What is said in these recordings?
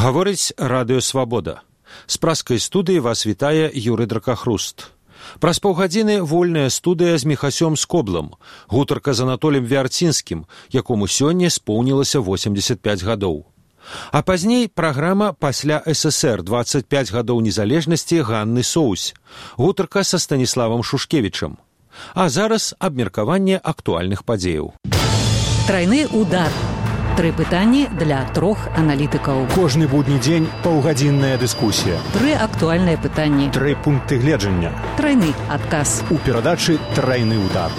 Гаворыць Радыё Свабода. З праскай студыі вас вітае Юрый Дракахруст. Праз паўгадзіны вольная студыя з Міхасём Скоблам, гутарка з Анатолем Вярцінскім, якому сёння споўнілася 85 гадоў. А пазней праграма «Пасля ССР. 25 гадоў незалежнасці» Ганны Соусь, гутарка са Станіславам Шушкевічам. А зараз абмеркаванне актуальных падзеяў. Трайны удар. 3 пытанні для 3 аналітыкаў. Кожны будні дзень паўгадзінная дыскусія. 3 актуальныя пытанні. 3 пункты гледжання. Трайны адказ. У перадачы «Трайны удар».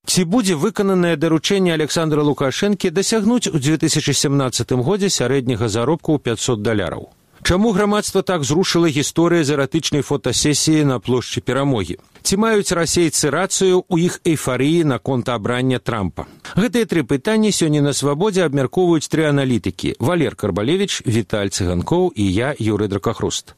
Ці будзе выкананае даручэнне Александра Лукашэнкі дасягнуць у 2017 годзе сярэдняга заробку ў $500? Чаму грамадства так зрушыла гісторыя з эратычнай фотасесіі на плошчы Перамогі? Ці маюць расейцы рацыю ў іх эйфарыі наконт абрання Трампа? Гэтыя 3 пытанні сёння на Свабодзе абмяркоўваюць 3 аналітыкі: Валер Карбалевіч, Віталь Цыганкоў і я, Юрый Дракахруст.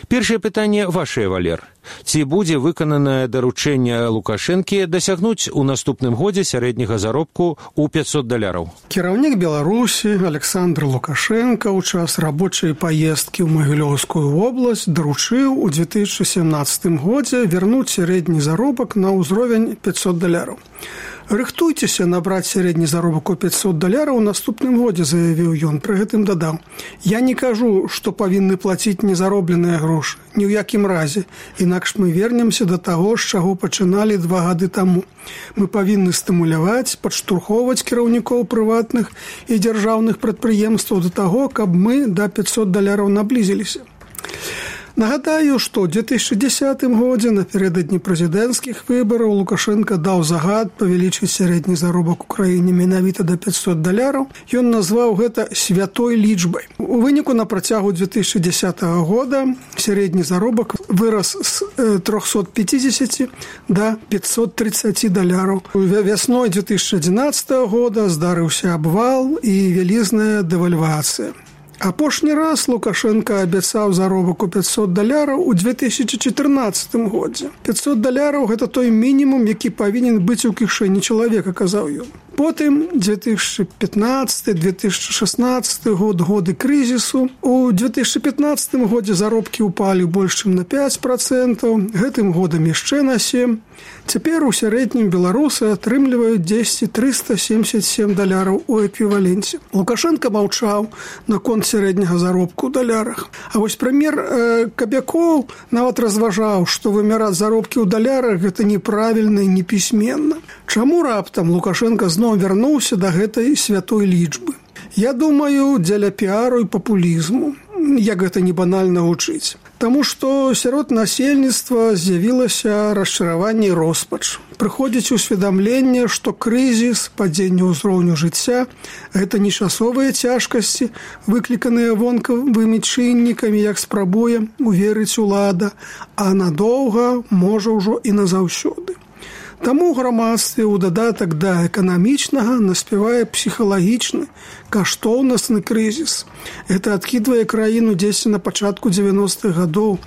Першае пытанне вашае, Валер. Ці будзе выкананае даручэнне Лукашэнкі дасягнуць у наступным годзе сярэдняга заробку ў $500? Кіраўнік Беларусі Александр Лукашенко ў час рабочай паездкі ў Магілёўскую вобласць даручыў у 2017 годзе вярнуць сярэдні заробак на ўзровень $500. «Рыхтуйцеся набраць сярэдні заробак у $500 у наступным годзе», заявіў ён. Пры гэтым дадаў: «Я не кажу, што павінны плаціць незаробленыя грошы. Ні ў якім разе. Інакш мы вернемся да таго, з чаго пачыналі 2 гады таму. Мы павінны стымуляваць, падштурхоўваць кіраўнікоў прыватных і дзяржаўных прадпрыемстваў да таго, каб мы да $500 наблізіліся». Нагадаю, што ў 2010 годзе напярэдадні прэзідэнцкіх выбараў Лукашенко даў загад павялічыць сярэдні заробак у краіне менавіта да $500. Ён назваў гэта святой лічбай. У выніку на працягу 2010 года сярэдні заробак вырас з 350 да $530. Вясной 2011 года здарыўся абвал і вялізная дэвальвацыя. Апошні раз Лукашенко абяцаў заробак у $500 у 2014 годзе. $500 – гэта той мінімум, які павінен быць у кішэні чалавека, казаў ён. Потым 2015-2016 год, годы крызісу. У 2015 годзе заробкі ўпалі больш чым на 5%, гэтым годам яшчэ на 7%. Цяпер у сярэднім беларусы атрымліваюць $10,377 у эквіваленце. Лукашенко маўчаў наконт сярэдняга заробку ў далярах. А вось прэм'ер Кабякоў нават разважаў, што вымяраць заробкі ў далярах гэта неправільна і непісьменна. Чаму раптам Лукашенко зноў вярнуўся да гэтай святой лічбы? Я думаю, дзеля піару і папулізму, як гэта не банальна гучыць. Таму што сярод насельніцтва з'явілася расчараванне і роспач. Прыходзіць усведамленне, што крызіс, падзенне ўзроўню жыцця – гэта не часовыя цяжкасці, выкліканыя вонкавымі чыннікамі, як спрабуе уверыць улада, а надоўга, можа ўжо і назаўсёды. Таму грамадстве ў дадатак да эканамічнага наспявае псіхалагічны, каштоўнасны крызіс. Гэта адкідвае краіну дзесьці на пачатку 90-х гадоў,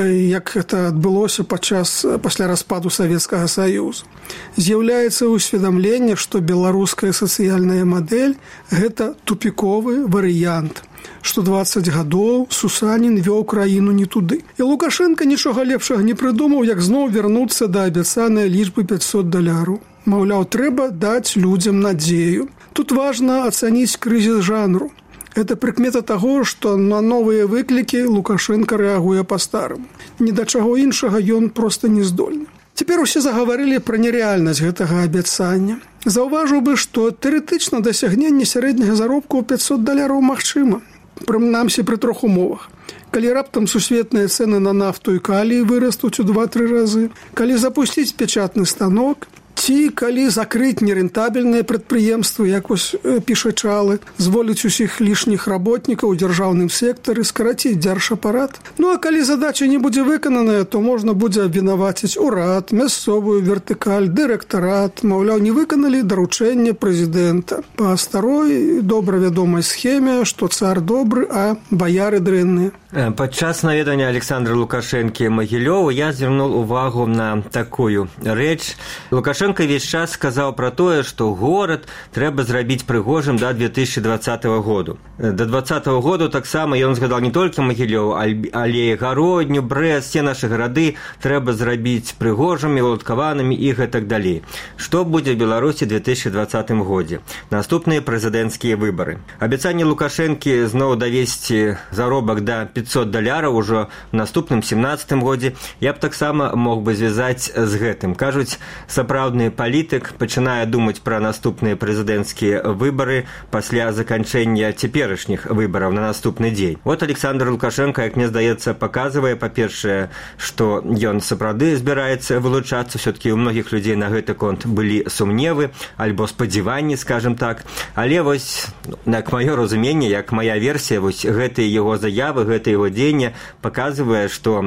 як гэта адбылося пасля распаду Савецкага Саюзу. З'яўляецца ўсведамленне, што беларуская сацыяльная мадэль – гэта тупіковы варыянт, што 20 гадоў Сусанін вёў краіну не туды. І Лукашенко нічога лепшага не прыдумаў, як зноў вярнуцца да абяцанай лічбы $500. Маўляў, трэба даць людзям надзею. Тут важна ацаніць крызіс жанру. Это прыкмета таго, што на новыя выклікі Лукашенко рэагуе па-стараму. Ні да чаго іншага ён проста не здольны. Цяпер усе загаварылі пра нерэальнасць гэтага абяцання. Заўважыў бы, што тэарэтычна дасягненне сярэдняга заробку ў $500 магчыма. Прынамсі пры 3 умовах. Калі раптам сусветныя цэны на нафту і калій вырастуць у 2-3 разы, калі запусціць печатны станок, ці калі закрыць нерэнтабельныя прадпрыемствы, як вось піша Чалы, зволіць усіх лішніх работнікаў у дзяржаўным сектары, скараціць дзяржапарат. Ну а калі задача не будзе выкананая, то можна будзе абвінаваціць урад, мясцовую вертыкаль, дырэктарат, маўляў, не выканалі даручэнне прэзідэнта. Па старой добра вядомай схеме, што цар добры, а баяры дрэнныя. Падчас наведання Александра Лукашэнкі Магілёву я звярнуў увагу на такую рэч. Лукашенко Лукашенко весь час сказаў пра тое, што горад трэба зрабіць прыгожым да 2020 году. До 2020 году таксама ён згадаў не толькі Магілёў, але і Гародню, Брэст, все нашы гарады трэба зрабіць прыгожымі, уладкаванымі і гэтак далей. Што будзе в Беларусі ў 2020 годзе? Наступныя прэзідэнцкія выбары. Абяцанне Лукашэнкі зноў давесці заробак да $500 ўжо в наступным 17 годзе я б таксама мог бы звязаць з гэтым. Кажуць, сапраўдны палітык пачынае думаць пра наступныя прэзідэнцкія выбары пасля заканчэння цяперашніх выбараў на наступны дзень. Вот Александр Лукашенко, як мне здаецца, паказвае, па-першае, што ён сапраўды збіраецца вылучацца. Все-таки у многіх людзей на гэты конт былі сумневы альбо спадзяванні, скажем так. Але вось, як маё разуменне, як моя версія, вось гэтыя яго заявы, гэта яго дзеянне паказвае, што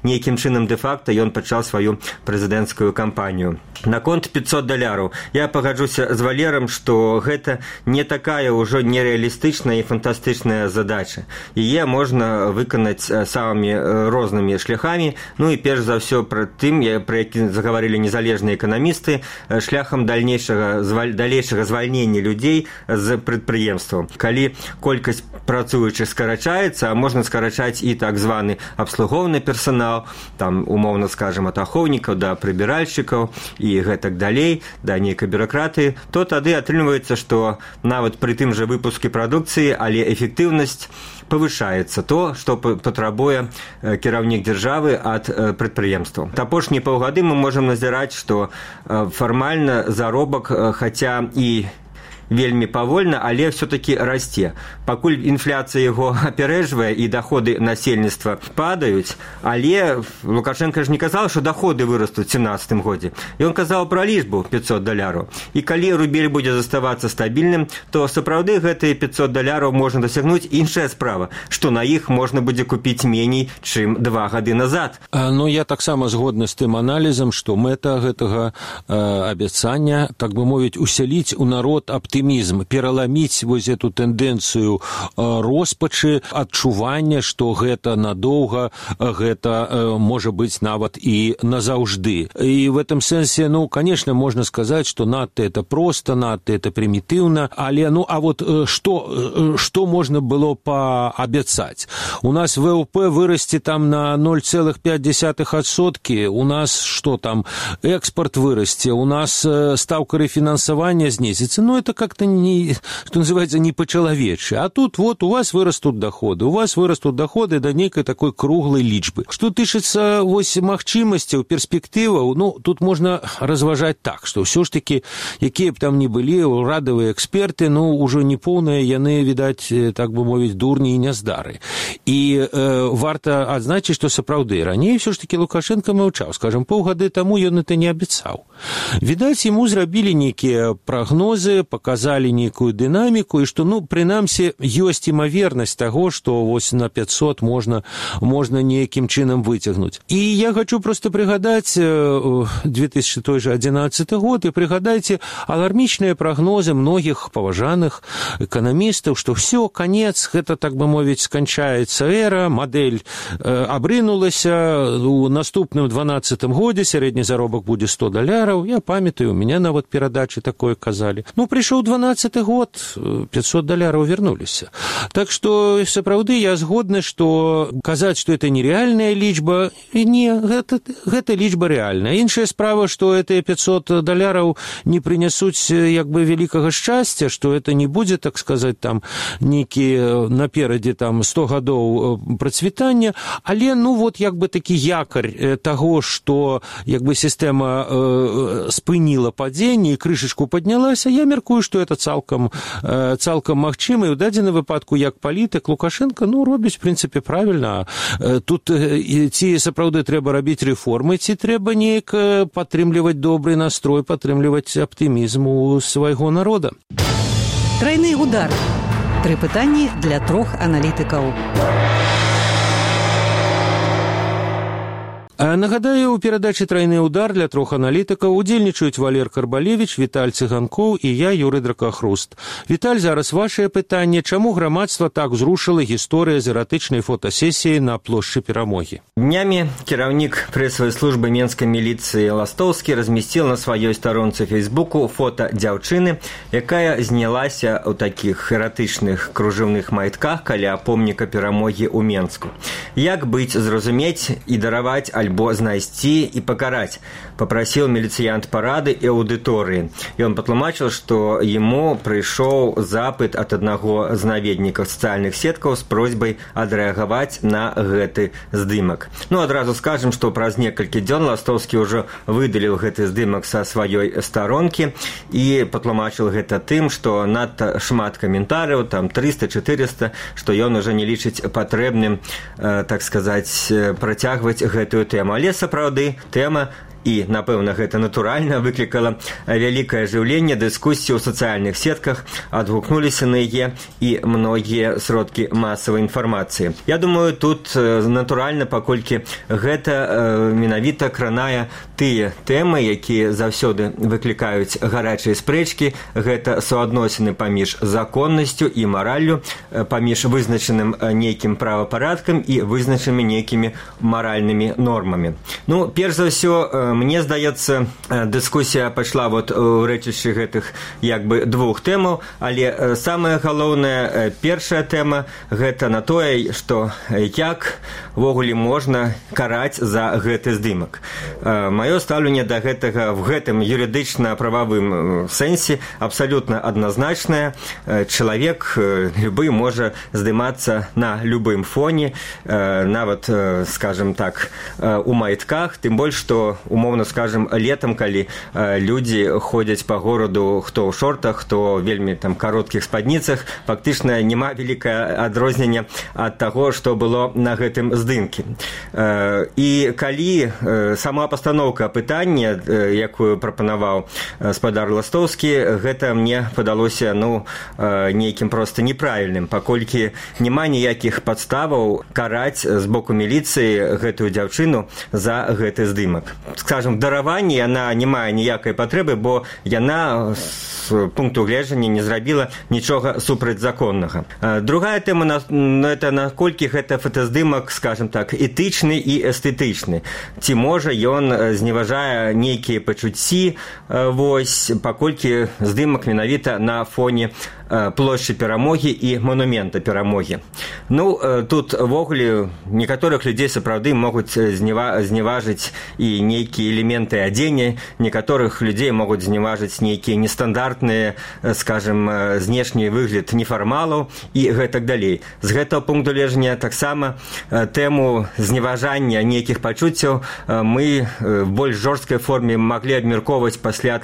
нейкім чынам дэ-факта ён пачаў сваю прэзідэнцкую кампанію. Наконт $500. Я пагаджуся з Валерам, што гэта не такая ўжо нереалістычная і фантастычная задача. Яе можна выканаць самымі рознымі шляхамі. І перш за ўсё пра тым, пра які загаварылі незалежныя эканамісты, шляхам далейшага звальнення людзей з прадпрыемстваў. Калі колькасць працуючых скарачаецца, а можна скарачаць і так званы абслугоўны персанал, там, умоўна скажем, ад ахоўнікаў да прыбіральшчыкаў і гэтак далей, да нейкай бюракратыі, то тады атрымліваецца, што нават пры тым жа выпуске прадукцыі, але эфектыўнасць павышаецца, то, што патрабуе кіраўнік дзяржавы ад прадпрыемстваў. Апошнія паўгады мы можам назіраць, што фармальна заробак, хаця і вельмі павольна, але все-таки расце. Пакуль інфляцыя яго апярэджвае і доходы насельніцтва падаюць, але Лукашенко ж не казаў, што доходы вырастуць у 17 годзе. Ён казаў пра лічбу $500. І калі рубель будзе заставацца стабільным, то сапраўды гэтыя $500 можна дасягнуць. Іншая справа, што на іх можна будзе купіць меней, чым 2 гады назад. Я таксама згодны з тым аналізам, што мэта гэтага абяцання, так бы мовіць, усяліць у народ оптимизм, пераламіць вось эту тэндэнцыю роспачы, адчування, што гэта надоўга, гэта можа быць нават і назаўжды. І в этом сэнсе, конечно, можно сказать, что надто это просто, надто это примитивно, але, а вот что можно было пообяцать? У нас ВВП вырасти там на 0,5%, у нас что там, экспорт вырасти, у нас ставка рефинансования снизится, это как-то, что называется, не по-человече. А тут вот у вас вырастут доходы до некой такой круглой лічбы. Что тычыцца вось магчымасцяў, перспектываў, тут можно разважаць так, что все ж таки, якія б там ни былі урадавыя эксперты, ўжо не поўныя яны, відаць, так бы мовіць, дурні і няздары. І варта адзначыць, што сапраўды раней все ж таки Лукашенко маўчаў, скажем, паўгады таму ён это не абяцаў. Відаць, яму зрабілі нейкія прагнозы, показалі нейкую дынаміку, і што, прынамсі, ёсць імавернасць таго, што вось на 500 можна нейкім чынам выцягнуць. І я хочу просто прыгадаць 2011 год, і прыгадайце алармічныя прагнозы многіх паважаных эканамістаў, што все, конец, гэта, так бы мовіць, сканчаецца эра, мадэль абрынулася, у наступным 12 годзе сярэдні заробак будзе $100. Я памятаю, у меня нават перадачы такое казалі. Прыйшоў 12 год, $500 вернуліся. Так што, сапраўды, я згодны, што казаць, што это нереальная лічба, не, гэта лічба рэальная. Іншая справа, што гэтыя $500 не прынясуць як бы вялікага шчасця, што это не будзе, так сказаць, там нейкі наперадзе там 100 гадоў працвітання, але вот як бы такі якарь таго, што як бы сістэма спыніла падзенне і крышачку паднялася, я меркую, што это цалкам магчыма, і ў дадзеным выпадку як палітык Лукашенко робіць в прынцыпе правільна. Тут ці сапраўды трэба рабіць рэформы, ці трэба неяк падтрымліваць добры настрой, падтрымліваць аптымізм у свайго народа. Трайны удар. 3 пытанні для 3 аналітыкаў. Нагадаю, у перадачы «Трайны ўдар» для 3 аналітыкаў удзельнічаюць Валер Карбалевіч, Віталь Цыганкоў і я, Юрый Дракахруст. Віталь, зараз вашае пытанне. Чаму грамадства так зрушыла гісторыя з эратычнай фотасесіі на плошчы Перамогі? Днямі кіраўнік прэсавай службы менскай міліцыі Ластовскі размесціў на сваёй старонцы Фейсбуку фота дзяўчыны, якая знялася ў такіх эратычных кружэўных майтках каля помніка Перамогі ў Менску. Як быць, зразумець і дараваць альбо знайсці і пакараць, папрасіў міліцыянт парады і аўдыторыі. Ён патлумачыў, што яму прыйшоў запыт ад аднаго з наведнікаў сацыяльных сеткаў з просьбай адрэагаваць на гэты здымак. Адразу скажам, што праз некалькі дзён Ластовскі ўжо выдаліў гэты здымак са сваёй старонкі і патлумачыў гэта тым, што надта шмат каментарыяў, там 300-400, што ён ужо не лічыць патрэбным, так сказаць, працягваць гэтую тэму. Але сапраўды тэма, і, напэўна, гэта натуральна выклікала вялікае ажыўленне, дыскусію ў сацыяльных сетках, адгукнуліся на яе і многія сродкі масавай інфармацыі. Я думаю, тут натуральна, паколькі гэта менавіта кранае тыя тэмы, якія заўсёды выклікаюць гарачыя спрэчкі, гэта суадносіны паміж законнасцю і мараллю, паміж вызначаным нейкім правапарадкам і вызначанымі нейкімі маральнымі нормамі. Перш за ўсё, мне здаецца, дыскусія пайшла у рэчышчы гэтых двух тэмаў, але самая галоўная, першая тэма, гэта на тое, што як ввогуле можна караць за гэты здымак. Маё стаўленне да гэтага в гэтым юрыдычна-прававым сэнсе абсалютна адназначнае. Чалавек любы можа здымацца на любым фоне, нават, скажем так, у майтках, тым больш, што умоўно скажем, летом, калі людзі ходзяць па гораду, хто ў шортах, хто вельмі там кароткіх спадніцах, фактычна няма вялікае адрозненне ад таго, што было на гэтым здымке. І калі сама пастаноўка пытання, якую прапанаваў спадар Ластовскі, гэта мне падалося нейкім проста неправільным, паколькі няма ніякіх падставаў караць з боку міліцыі гэтую дзяўчыну за гэты здымак. Скажем, дараванне яна не мае ніякай патрэбы, бо яна з пункту гледжання не зрабіла нічога супрацьзаконнага. Другая тэма, это наколькі гэта фотаздымак, скажем так, этычны і эстэтычны. Ці можа ён зневажае нейкія пачуцці, паколькі здымак менавіта на фоне плошчы Перамогі і манумента Перамогі. Тут ввогуле некаторых людзей сапраўды могуць зневажыць і нейкія элементы адзення, некаторых людзей могуць зневажыць нейкія нестандартныя, скажем, знешні выгляд нефармалаў і гэтак далей. З гэтага пункту гледжання таксама тэму зневажання нейкіх пачуццяў мы в больш жорсткай форме маглі абмяркоўваць пасля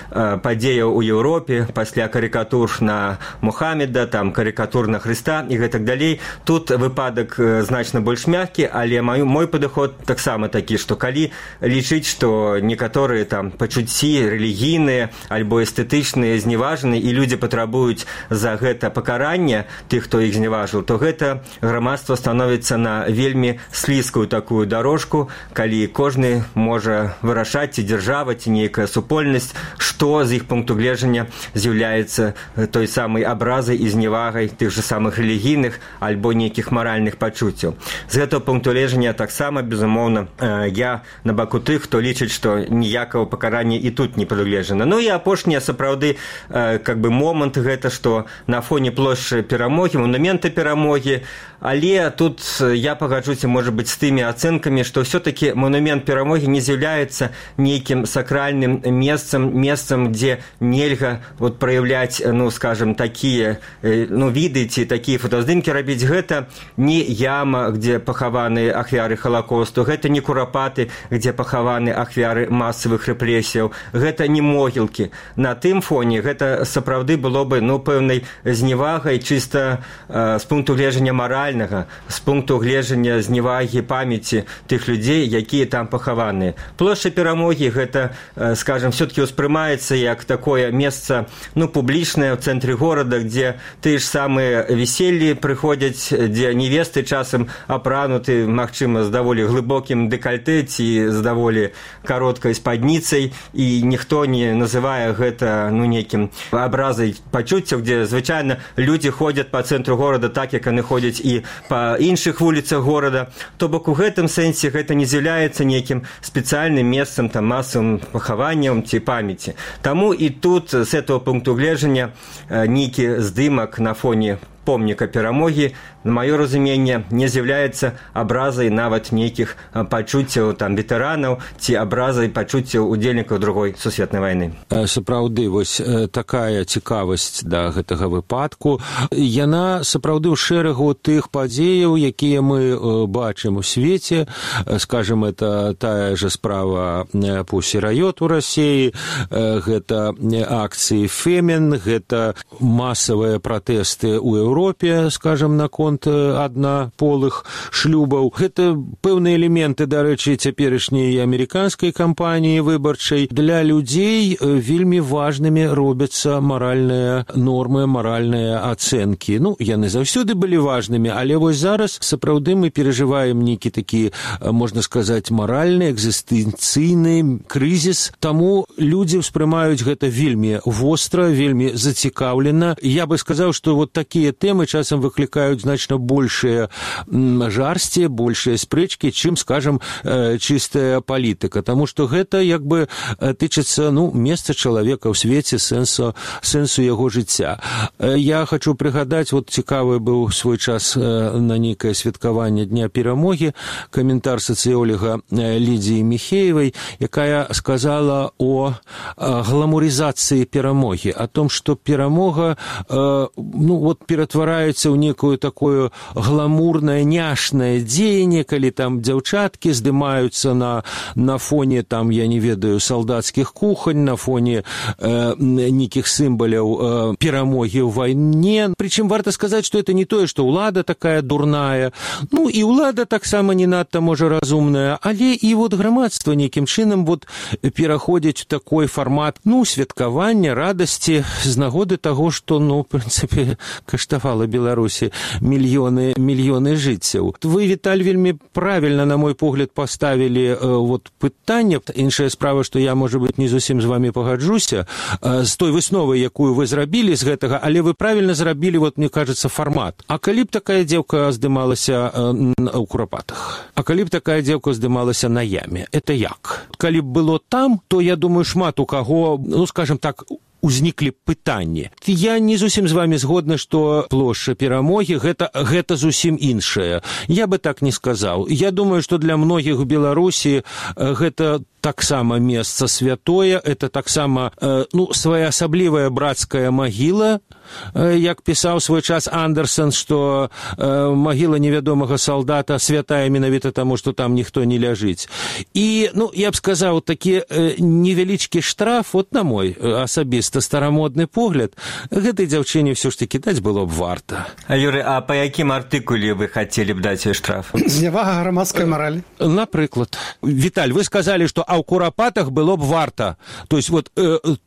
падзеяў у Еўропе, пасля карыкатур на Мухаммеда, карикатур на Хрыста і гэтак далей. Тут выпадак значна больш мяккі, але мой падыход таксама такі, што калі лічыць, што некаторыя пачуцці рэлігійныя альбо эстэтычныя зневажаны і людзі патрабуюць за гэта пакарання тых, хто іх зневажыў, то гэта грамадства становіцца на вельмі слізкую такую дарожку, калі кожны можа вырашаць, ці дзяржава, ці нейкая супольнасць, што з іх пункту гледжання з'яўляецца той самай абразай і зневагай тых же самых рэлігійных альбо нейкіх маральных пачуццяў. З гэтага пункту гледжання таксама, безумоўна, я на баку тых, хто лічыць, што ніякага пакарання і тут не прадугледжана. І апошняе сапраўды момант гэта, што на фоне плошчы Перамогі, манумента Перамогі, але тут я пагаджуся, можа быць, з тымі ацэнкамі, што ўсё-такі манумент Перамогі не з'яўляецца нейкім сакральным месцам, дзе нельга праяўляць, скажем, такія віды ці такія фотаздымкі рабіць. Гэта не яма, дзе пахаваны ахвяры Халакосту, гэта не курапаты, дзе пахаваны ахвяры масавых рэпрэсіяў, гэта не могілкі. На тым фоне гэта сапраўды было бы пэўнай зневагай чыста з пункту гледжання маральнага, з пункту гледжання зневагі памяці тых людзей, якія там пахаваныя. Плошча Перамогі гэта, скажем, все-таки ўспрымаецца як такое месца публічнае ў цэнтры цэнтры горада, дзе тыя ж самыя весельі прыходзяць, дзе невесты часам апрануты, магчыма, з даволі глыбокім дэкальтэ ці з даволі кароткай спадніцай, і ніхто не называе гэта нейкім абразай пачуццяў, дзе звычайна людзі ходзяць па цэнтру горада так, як яны ходзяць і па іншых вуліцах горада. То бок у гэтым сэнсе гэта не з'яўляецца нейкім спецыяльным месцам, там, масавым пахаваннем ці памяці. Таму і тут з этого пункту гледжання нейкі здымак на фоне помніка перамогі, на маё разуменне, не з'яўляецца абразай нават нейкіх пачуццяў там ветэранаў ці абразай пачуццяў удзельнікаў другой сусветнай вайны. Сапраўды, вось такая цікавасць да гэтага выпадку. Яна сапраўды ў шэрагу тых падзеяў, якія мы бачым у свеце. Скажем, это тая же справа Pussy Riot у Расіі, гэта акцыі Фемін, гэта масавыя пратэсты ў Еўропе, скажем, наконт аднаполых шлюбаў. Гэта пэўныя элементы, дарэчы, цяперашняй амерыканскай кампаніі выбарчай. Для людзей вельмі важнымі робяцца маральныя нормы, маральныя ацэнкі. Яны заўсёды былі важнымі, але вось зараз сапраўды мы перажываем нейкі такі, можна сказаць, маральны, экзістэнцыйны крызіс. Таму людзі ўспрымаюць гэта вельмі востра, вельмі зацікаўлена. Я бы сказаў, што вот такія тэмы часам выклікаюць значна большыя жарсці, большыя спрэчкі, чым, скажем, чыстая палітыка. Таму што гэта як бы тычыцца месца чалавека ў свеце, сэнсу яго жыцця. Я хочу прыгадаць, вот цікавы быў свой час на нейкае святкаванне Дня перамогі, каментар сацыёлага Лідзіі Міхеевай, якая сказала о гламурызацыі перамогі, о том, што перамога ператвараецца ў некую такое гламурнае, няшнае дзеянне, калі там дзяўчаткі здымаюцца на фоне, там, я не ведаю, салдацкіх кухань, на фоне нейкіх сімваляў перамогі ў вайне. Прычым варта сказаць, што это не тое, што ўлада такая дурная, і ўлада таксама не надта, можа, разумная, але і вот грамадства нейкім чынам пераходзіць у такой фармат, святкавання, радасці з нагоды таго, што, в прынцыпе, каштавала Беларусі мільёны жыццяў. Вы, Віталь, вельмі правільна, на мой погляд, паставілі пытанне. Іншая справа, што я, можа быць, не зусім з вамі пагаджуся з той высновай, якую вы зрабілі з гэтага, але вы правільна зрабілі, мне кажется, фармат. А калі б такая дзеўка здымалася ў Курапатах? А калі б такая дзеўка здымалася на яме? Это як? Калі б было там, то, я думаю, шмат у каго, скажем так, узніклі пытанні. Я не зусім з вами згодны, што плошча перамогі гэта зусім іншае. Я бы так не сказаў. Я думаю, што для многіх у Беларусі гэта таксама месца святое, это таксама своеасаблівая брацкая магіла, як пісаў свой час Андерсон, што магіла невядомага салдата святая менавіта таму, што там ніхто не ляжыць. І, я б сказаў, такі невялічкі штраф, на мой асабіста старамодны погляд, гэтай дзяўчыне ўсё ж такі даць было б варта. Юрый, а па якім артыкуле вы хацелі б даць штраф? Знявага грамадскай маралі. Напрыклад. Віталь, вы сказалі, што ў Курапатах было б варта. То есть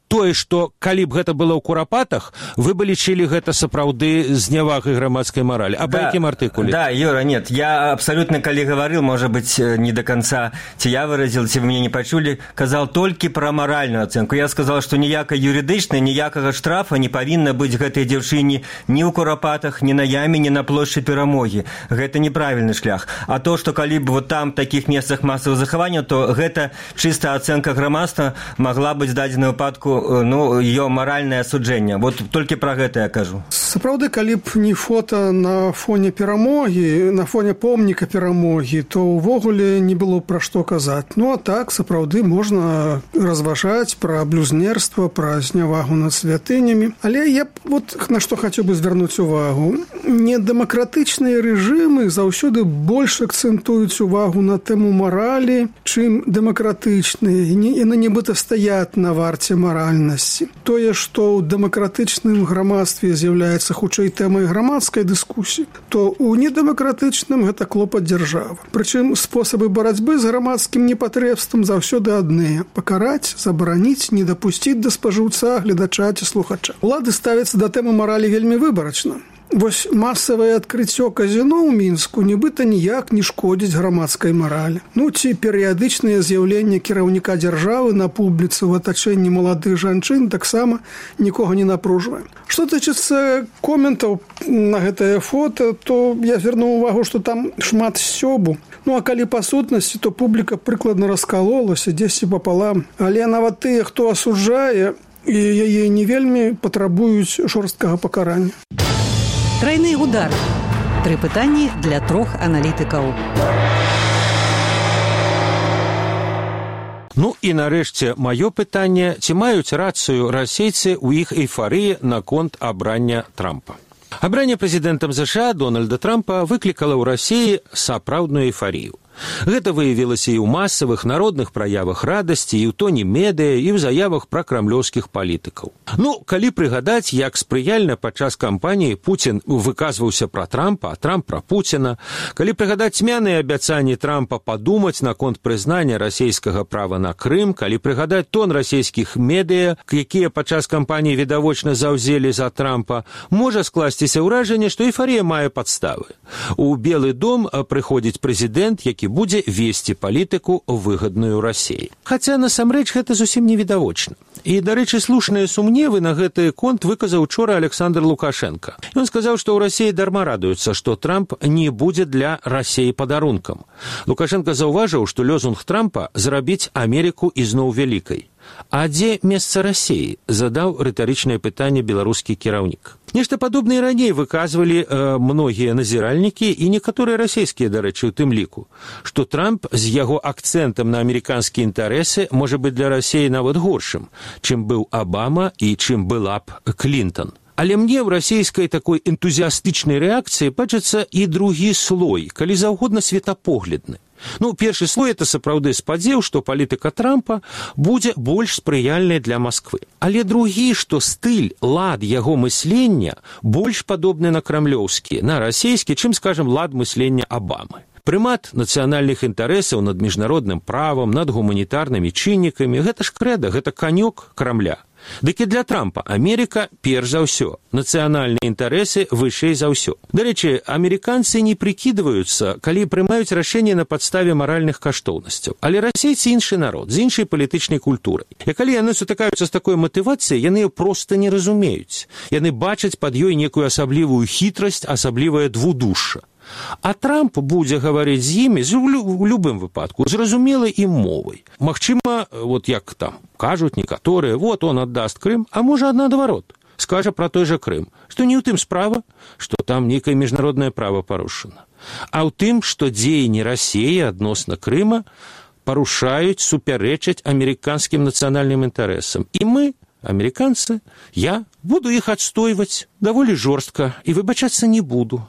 тое, што калі б гэта было ў Курапатах, вы бы лічылі гэта сапраўды знявагай грамадскай маралі. А па якім артыкуле? Да, Юра, нет, я абсолютно, калі гаварыў, можа быць, не до конца, ці я выразил, ці вы мяне не пачулі, казал толькі пра маральную ацэнку. Я сказал, што ніякай юрыдычнай, ніякага штрафа не павінна быць гэтай дзяўчыне ні ў Курапатах, ні на яме, ні на плошчы перамогі. Гэта неправільны шлях. А то, што калі б там такіх месцах масавых захаванняў, то гэта чыстая ацэнка грамадства магла быць дадзена выпадку ее маральнае асуджэнне. Вот толькі пра гэта я кажу. Сапраўды, калі б не фота на фоне перамогі, на фоне помніка перамогі, то ўвогуле не было пра што казаць. А так, сапраўды, можна разважаць пра блюзнерства, пра знявагу над святынямі. Але я на што хацеў бы звярнуць увагу. Недэмакратычныя рэжымы заўсёды больш акцэнтуюць увагу на тэму маралі, чым дэмакратычныя. Яны нібыта стаят на варце маралі. ліберальнасці. Тое, што ў дэмакратычным грамадстве з'яўляецца хутчэй тэмай грамадскай дыскусіі, то ў недэмакратычным гэта клопат дзяржавы. Прычым спосабы барацьбы з грамадскім непатрэбствам заўсёды адныя: пакараць, забараніць, не дапусціць да спажыўца, гледача ці слухача. Улады ставяцца да тэмы маралі вельмі выбарачна. Вось масавае адкрыццё казіно ў Мінску нібыта ніяк не шкодзіць грамадскай маралі. Ці перыядычнае з'яўленне кіраўніка дзяржавы на публіцы ў атачэнні маладых жанчын таксама нікога не напружвае. Што тычыцца коментаў на гэтае фота, то я звярнуў увагу, што там шмат сцёбу. А калі па сутнасці, то публіка прыкладна раскалолася дзесьці папалам. Але нават тыя, хто асуджае, і яе не вельмі патрабуюць жорсткага пакарання. Трайны удар. 3 пытанні для 3 аналітыкаў. І нарэшце маё пытанне: ці маюць рацыю расейцы ў іх эйфарыі наконт абрання Трампа? Абранне прэзідэнтам США Дональда Трампа выклікала ў Расіі сапраўдную эйфарыю. Гэта выявілася і ў масавых народных праявах радасці, і ў тоне медыя, і ў заявах пра крамлёўскіх палітыкаў. Калі прыгадаць, як спрыяльна падчас кампаніі Пуцін выказваўся пра Трампа, а Трамп пра Пуціна, калі прыгадаць цьмяныя абяцанні Трампа падумаць наконт прызнання расейскага права на Крым, калі прыгадаць тон расійскіх медыя, якія падчас кампаніі відавочна заўзелі за Трампа, можа скласціся ўражанне, што эйфарыя мае падставы. У Белы дом прыходзіць прэзідэнт, які будзе весці палітыку выгадную Расіі. Хаця насамрэч гэта зусім невідавочна. І, дарэчы, слушныя сумневы на гэты конт выказаў учора Александр Лукашенко. Ён сказаў, што ў Расіі дарма радуюцца, што Трамп не будзе для Расіі падарункам. Лукашенко заўважыў, што лозунг Трампа зрабіць Амерыку ізноў вялікай. А дзе месца Расіі? Задаў рытарычнае пытанне беларускі кіраўнік. Нешта падобнае раней выказвалі многія назіральнікі і некаторыя расійскія, дарэчы, у тым ліку, што Трамп з яго акцэнтам на амерыканскія інтарэсы можа быць для Расіі нават горшым, чым быў Абама і чым была б Клінтон. Але мне ў расійскай такой энтузіастычнай рэакцыі бачыцца і другі слой, калі заўгодна светапоглядны. Першы слой – это сапраўды спадзеў, што палітыка Трампа будзе больш спрыяльнай для Масквы. Але другі, што стыль, лад яго мыслення больш падобны на крамлёўскі, на расійскі, чым, скажам, лад мыслення Абамы. Прымат нацыянальных інтарэсаў над міжнародным правам, над гуманітарнымі чыннікамі – гэта ж крэда, гэта канёк Крамля. Дык і для Трампа Амерыка перш за ўсё, нацыянальныя інтарэсы вышэй за ўсё. Дарэчы, амерыканцы не прыкідваюцца, калі прымаюць рашэнне на падставе маральных каштоўнасцяў. Але расейцы іншы народ, з іншай палітычнай культурай. І калі яны сутыкаюцца з такой матывацыяй, яны проста не разумеюць. Яны бачаць пад ёй некую асаблівую хітрасць, асаблівае двудушша. А Трамп будзе гаварыць з імі у любым выпадку зразумелай ім мовай. Магчыма, як там кажуць некаторыя, он аддаст Крым, а можа наадварот, скажа пра той жа Крым, што не ў тым справа, што там нейкае міжнароднае права парушана, а ў тым, што дзеянні Расіі адносна Крыма парушаюць, супярэчаць амерыканскім нацыянальным інтарэсам. І мы, амерыканцы, я буду іх адстойваць даволі жорстка і выбачацца не буду.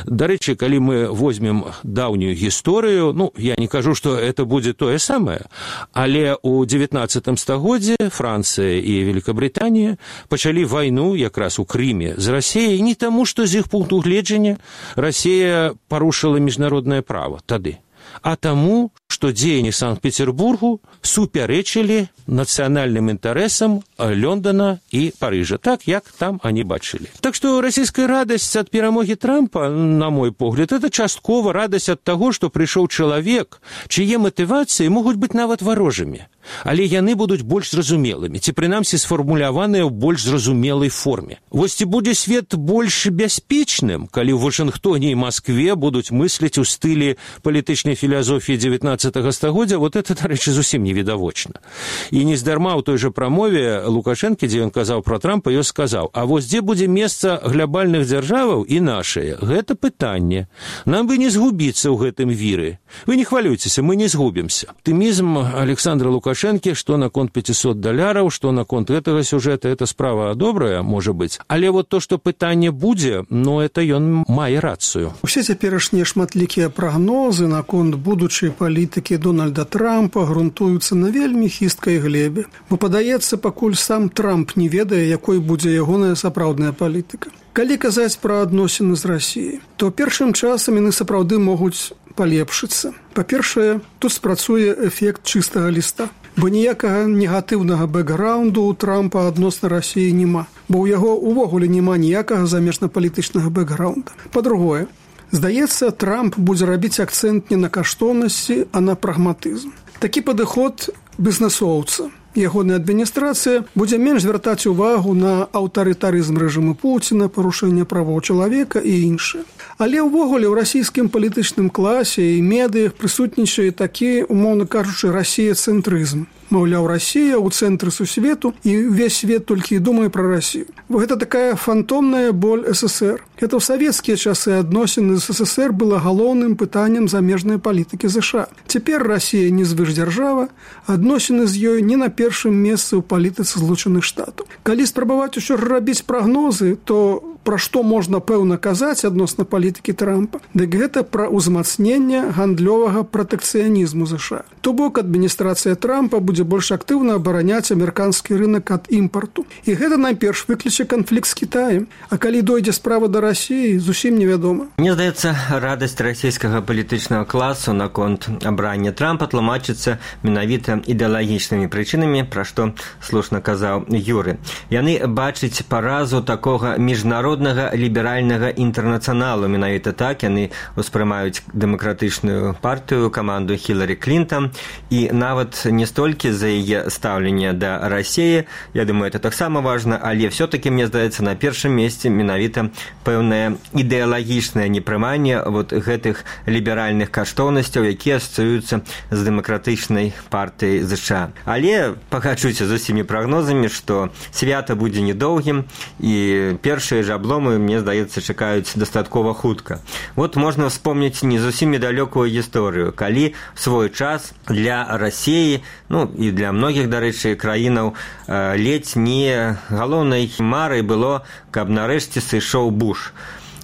Дарэчы, калі мы возьмем даўнюю гісторыю, я не кажу, што это будзе тое самае, але ў 19 стагоддзі Францыя і Великабрытанія пачалі вайну якраз у Крыме з Расіяй не таму, што з іх пункту гледжання Расія парушыла міжнароднае права тады, а таму, што дзеянні Санкт-Петербургу супярэчылі нацыянальным інтарэсам Лондона і Парыжа, так, як там они бачылі. Так што расійская радасць ад перамогі Трампа, на мой погляд, это часткова радасць ад таго, што прыйшоў чалавек, чые матывацыі могуць быць нават варожымі, але яны будуць больш зразумелымі, ці прынамсі сфармуляваныя ў больш зразумелай форме. Вось ці будзе свет больш бяспечным, калі ў Вашынгтоне і Маскве будуць мысліць у стылі палітычнай філасофіі 19 стагоддзя, это, дарэчы, зусім невідавочна. І нездарма ў той жа прамове Лукашэнкі, дзе ён казаў пра Трампа, ён сказаў: а вось дзе будзе месца глобальных дзяржаваў і нашае? Гэта пытанне. Нам бы не згубіцца ў гэтым віры. Вы не хвалюйцеся, мы не згубімся. Аптымізм Александра Лукашэнка Лукашэнкі, што наконт $500, што наконт гэтага сюжэта, это справа добрая, можа быць. Але вот то, што пытанне будзе, ну, это ён мае рацыю. Усе цяперашнія шматлікія прагнозы наконт будучай палітыкі Дональда Трампа грунтуюцца на вельмі хісткай глебе. Бо падаецца, пакуль сам Трамп не ведае, якой будзе ягоная сапраўдная палітыка. Калі казаць пра адносіны з Расіяй, то першым часам яны сапраўды могуць палепшыцца. Па-першае, тут спрацуе эфект чыстага ліста, бо ніякага негатыўнага бэкграунду ў Трампа адносна Расіі няма, бо ў яго увогуле няма ніякага замежна-палітычнага бэкграунда. Па-другое, здаецца, Трамп будзе рабіць акцэнт не на каштоўнасці, а на прагматызм. Такі падыход бізнесоўца. Ягоная адміністрацыя будзе менш звяртаць увагу на аўтарытарызм рэжыму Пуціна, парушэнне правоў чалавека і іншае. Але ўвогуле ў расійскім палітычным класе і медыях прысутнічае такі, умоўна кажучы, расіяцэнтрызм. Маўляў, Расія ў цэнтры сусвету і ўвесь свет толькі і думае пра Расію. Бо гэта такая фантомная боль СССР. Это ў савецкія часы адносіны з СССР было галоўным пытаннем замежнай палітыкі ЗША. Цяпер Расія не звышдзяржава, адносіны з ёй не на першым месцы ў палітыцы Злучаных Штатаў. Калі спрабаваць усё ж рабіць прагнозы, то пра што можна пэўна казаць адносна палітыкі Трампа, дык гэта пра ўзмацненне гандлёвага пратэкцыянізму ЗША. То бок адміністрацыя Трампа будзе больш актыўна абараняць амерыканскі рынок ад імпарту. І гэта найперш выкліче канфлікт з Кітаем. А калі дойдзе справа да Расіі, зусім невядома. Мне здаецца, радасць расійскага палітычнага класу наконт абрання Трампа тлумачыцца менавіта ідэалагічнымі прычынамі, пра што слушна казаў Юры. Яны бачаць паразу такога міжнароднага ліберальнага інтэрнацыяналу. Менавіта так яны ўспрымаюць дэмакратычную партыю, каманду Хіларі Клінтон, і нават не столькі за яе стаўленне да Расіі, я думаю, это таксама важна, але все-таки, мне здаецца, на першым месцы менавіта пэўнае ідэалагічнае непрыманне вот гэтых ліберальных каштоўнасцяў, якія асацыююцца з дэмакратычнай партыяй ЗША. Але пагаджуся з усімі прагнозамі, што свята будзе недоўгім, і першыя ж абломы, мне здаецца, чакаюць дастаткова хутка. Вот можна вспомніць не зусім недалёкую гісторыю, калі в свой час для Расіі, ну і для многіх, дарэчы, краінаў ледзь не галоўнай марай было, каб нарэшце сышоў Буш.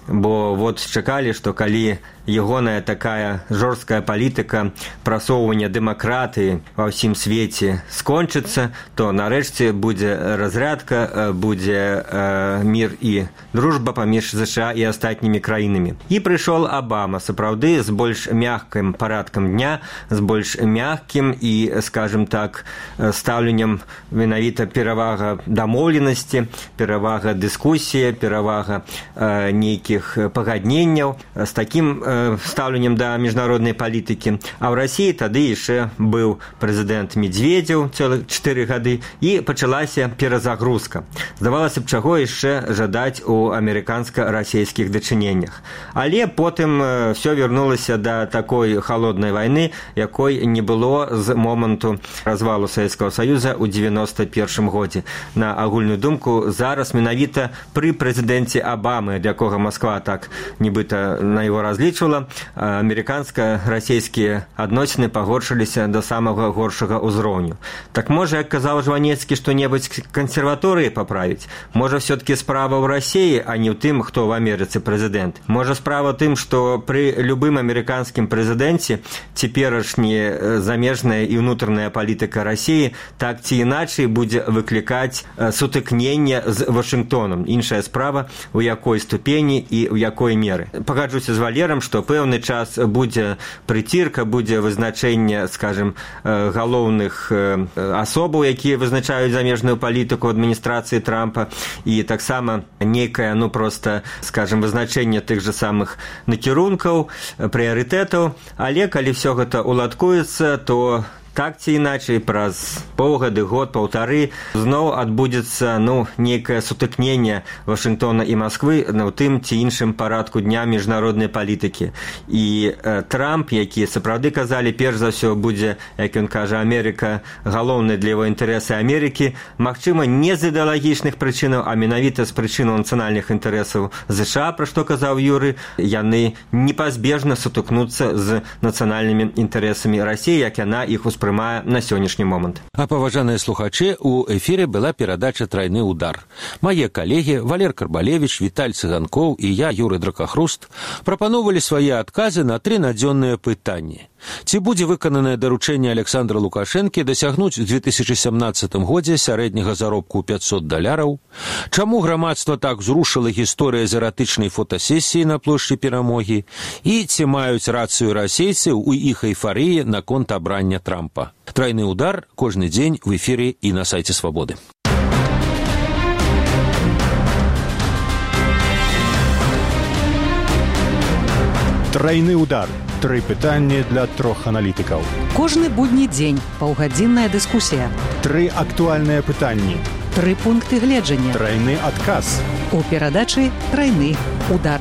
Бо вот чакалі, што калі ягоная такая жорсткая палітыка прасоўвання дэмакратыі ва ўсім свеце скончыцца, то нарэшце будзе разрядка, будзе мір і дружба паміж ЗША і астатнімі краінамі. І прыйшоў Абама, сапраўды, з больш мяккім парадкам дня, з больш мяккім і, скажем так, стаўленнем менавіта перавага дамоўленасці, перавага дыскусіі, перавага нейкіх пагадненняў, з такім стаўленнем да міжнароднай палітыкі. А ў Расіі тады яшчэ быў прэзідэнт Медведзеў цэлых 4 гады, і пачалася перазагрузка. Здавалася б, чаго яшчэ жадаць у амерыканска-расійскіх дачыненнях. Але потым все вярнулася да такой халоднай вайны, якой не было з моманту развалу Савецкага Саюза ў 91 годзе. На агульную думку, зараз менавіта пры прэзідэнце Абамы, ад якога Масква так нібыта на яго разлічвала, амерыканска-расійскія адносіны пагоршыліся да самага горшага ўзроўню. Так можа, як казаў Жванецкі, што-небудзь кансерваторыі паправіць? Можа, все-таки справа ў Расіі, а не ў тым, хто ў Амерыцы прэзідэнт? Можа, справа ў тым, што пры любым амерыканскім прэзідэнце цяперашняя замежная і ўнутраная палітыка Расіі так ці іначай будзе выклікаць сутыкнення з Вашынгтонам. Іншая справа, у якой ступені і ў якой меры. Пагаджуся з Валерам, што пэўны час будзе прыцірка, будзе вызначэнне, скажем, галоўных асобаў, якія вызначаюць замежную палітыку адміністрацыі Трампа, і таксама нейкае, ну, проста, скажем, вызначэнне тых жа самых накірункаў, прыярытэтаў, але калі ўсё гэта уладкуецца, то так ці іначай, праз паўгады, год, паўтары, зноў адбудзецца, ну, нейкае сутыкненне Вашынгтона і Масквы на тым ці іншым парадку дня міжнароднай палітыкі. І Трамп, які сапраўды казалі, перш за ўсё будзе, як ён кажа, Амерыка галоўнай для яго інтарэсы Амерыкі, магчыма, не з ідэалагічных прычынаў, а менавіта з прычынаў нацыянальных інтарэсаў ЗША, пра што казаў Юры, яны непазбежна сутыкнуцца з нацыянальнымі інтарэсамі Расіі, як яна іх успрымае успрымае на сённяшні момант. А паважаныя слухачы, у эфіре была перадача «Трайны удар». Мае калегі Валер Карбалевіч, Віталь Цыганкоў і я, Юрый Дракахруст, прапановалі свае адказы на 3 надзённыя пытанні. Ці будзе выкананае даручэнне Александра Лукашэнкі дасягнуць у 2017 годзе сярэдняга заробку $500? Чаму грамадства так зрушыла гісторыя з эратычнай фотасесіі на плошчы Перамогі? І ці маюць рацыю расейцы ў іх эйфарыі наконт абрання Трампа? «Трайны удар» кожны дзень в эфіры і на сайце Свабоды. Трайны удар. 3 пытанні для 3 аналітыкаў. Кожны будні дзень паўгадзінная дыскусія. 3 актуальныя пытанні. 3 пункты гледжання. Трайны адказ. У перадачы «Трайны удар».